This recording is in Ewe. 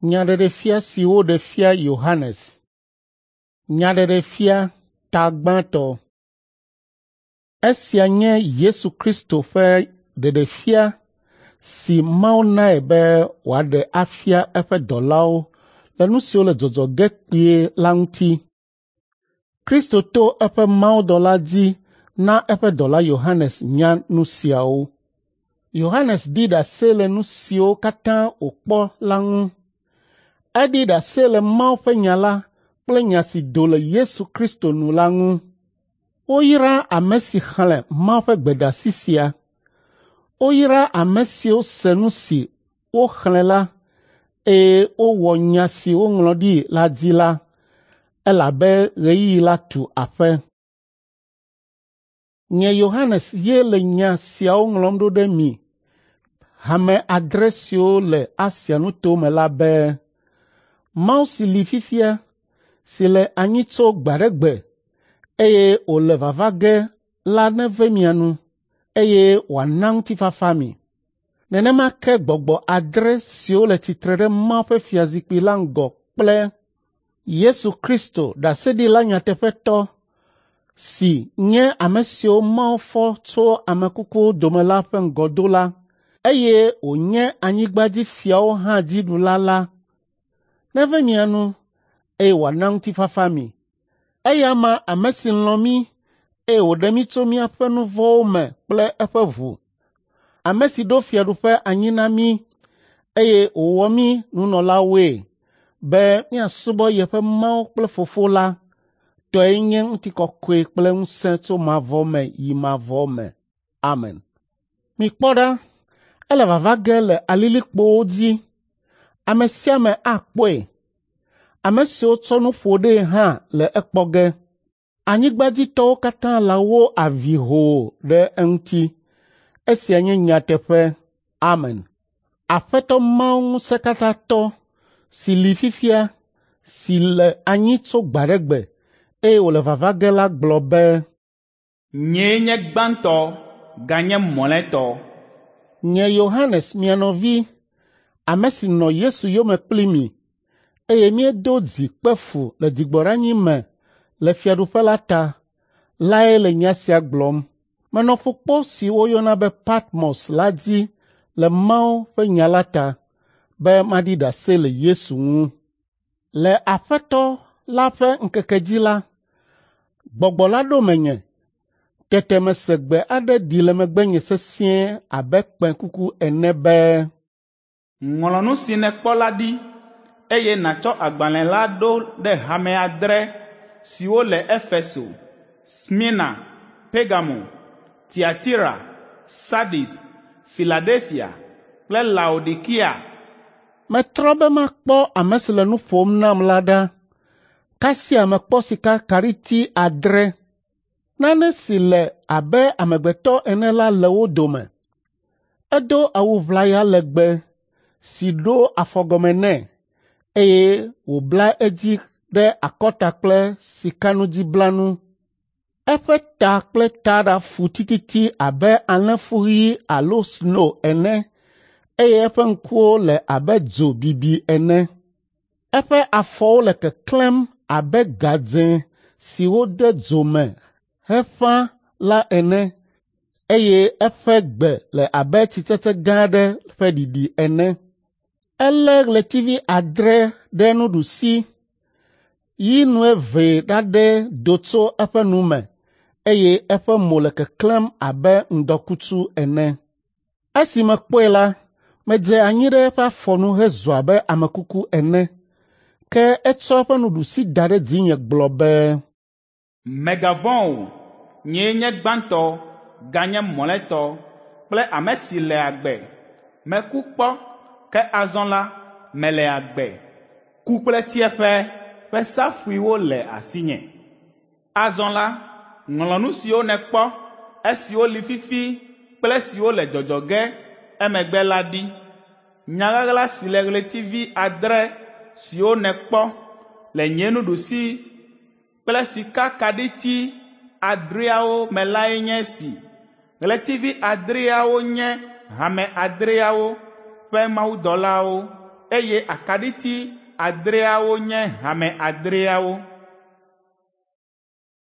Nyaɖeɖefia si woɖe fia Yohanes. Nyaɖeɖefia ta gbãtɔ. Esia nye Yesu Kristo ƒe ɖeɖefia si Mawu nae be wòaɖe afia eƒe dɔlawo le nu siwo le dzɔdzɔ ge kpuie la ŋuti. Kristo to eƒe mawudɔla dzi na eƒe dɔla Yohanes nya nu siawo. Yohanes ɖi ɖase le nu siwo katã wòkpɔ la ŋu. Eɖi ɖase le Mawu ƒe nya la kple nya si do le Yesu Kristo nu la ŋu. Woyra ame si xlẽ Mawu ƒe gbedeasi sia. Woyra ame siwo se nu si woxlẽ la, eye wowɔ nya si woŋlɔ ɖi la dzi la, elabe ɣeyiɣi la tu aƒe. Nye Yohanes ye le nya siawo ŋlɔm ɖo ɖe mi, hame adre siwo le Asia nutome la be, Mawu si li fifia, si le anyi tso gbe aɖe gbe, eye wòle vava ge la neve mia nu, eye wòana ŋutifafa mi. Nenema ke gbɔgbɔ adre siwo le tsitre ɖe Mawu ƒe fiazikpui la ŋgɔ kple Yesu Kristo ɖaseɖila nyateƒetɔ si nye ame siwo Mawu fɔ tso ame kukuwo dome la ƒe ŋgɔdola, eye wònye anyigbadzifiawo hã dziɖula la, neve mia nu, eye wòana ŋutifafa mi. Eya ama ame si lɔ̃ mí, eye wòɖe mí tso míaƒe nu vɔ̃wo me kple eƒe ʋu. Ame si ɖo fiaɖuƒe anyi na mí, eye wòwɔ mí nunɔlawoe be míasubɔ yeƒe Mawu kple Fofo la, tɔe nye ŋutikɔkɔe kple ŋusẽ tso mavɔ me yi mavɔ me. Amen. Mikpɔ ɖa, ele vava ge le alilikpowo dzi. Ame sia ame akpɔe. Ame siwo tsɔ nu ƒo ɖee hã le ekpɔ ge. Anyigbadzitɔwo katã lãwo avi hoo ɖe eŋuti. Esia nye nyateƒe. Amen. Aƒetɔ Mawu Ŋusẽkatãtɔ si li fifia, si le anyi tso gbe aɖe gbe, eye wòle vava ge la gblɔ be, Nyee nye gbãtɔ ganye mlɔetɔ. Nye Yohanes mia nɔvi, ame si nɔ Yesu yome kpli mi, eye míedo dzi kpe fu le dzigbɔɖanyi me le fiaɖuƒe la ta lae le nya sia gblɔm. Menɔ ƒukpo si woyɔna be Patmos la dzi le Mawu ƒe nya la ta, be maɖi ɖase le Yesu ŋu. Le Aƒetɔ la ƒe ŋkeke dzi la, Gbɔgbɔ la ɖo menye. Tete mese gbe aɖe ɖi le megbenye sesĩe abe kpẽkuku ene be, Ŋlɔ nu si nèkpɔ la ɖi, eye nàtsɔ agbalẽ la ɖo ɖe hame adre siwo le Efeso, Smirna, Pergamo, Tiatira, Sardis, Filadelfia kple Laodikea. Metrɔ be makpɔ ame si le nu ƒom nam la ɖa. Kasia mekpɔ sikakaɖiti adre. Nane si le abe amegbetɔ ene la le wo dome. Edo awu ʋlaya legbe si ɖo afɔgɔme nɛ, eye wòbla edzi ɖe akɔta kple sikanudziblanu. Eƒe ta kple taɖa fu tititi abe alẽfu ɣi alo sno ene, eye eƒe ŋkuwo le abe dzo bibi ene. Eƒe afɔwo le keklẽm abe gadzẽ si wode dzo me heƒã la ene, eye eƒe gbe le abe tsitsetse gã aɖe ƒe ɖiɖi ene. Elé ɣletivi adre ɖe nuɖusi, yi nuevee ɖaɖɛ do tso eƒe nu me, eye eƒe mo le keklẽm abe ŋdɔkutsu ene. Esi mekpɔe la, medze anyi ɖe eƒe afɔ nu hezu abe ame kuku ene. Ke etsɔ eƒe nuɖusi da ɖe dzinye gblɔ be, Mègavɔ̃ o, nyee nye gbãtɔ ganye mlɔetɔ kple ame si le agbe. Meku kpɔ, ke azɔ la, mele agbe. Ku kple tsiẽƒe ƒe safuiwo le asinye. Azɔ la, ŋlɔ nu siwo nèkpɔ, esiwo li fifi kple esiwo le dzɔdzɔ ge emegbe la ɖi. Nya ɣaɣla si le ɣletivi adre siwo nèkpɔ le nye nuɖusi kple sikakaɖiti adreawo me lae nye esi. Ɣletivi adreawo nye hame adreawo ƒe mawudɔlawo, eye akaɖiti adreawo nye hame adreawo.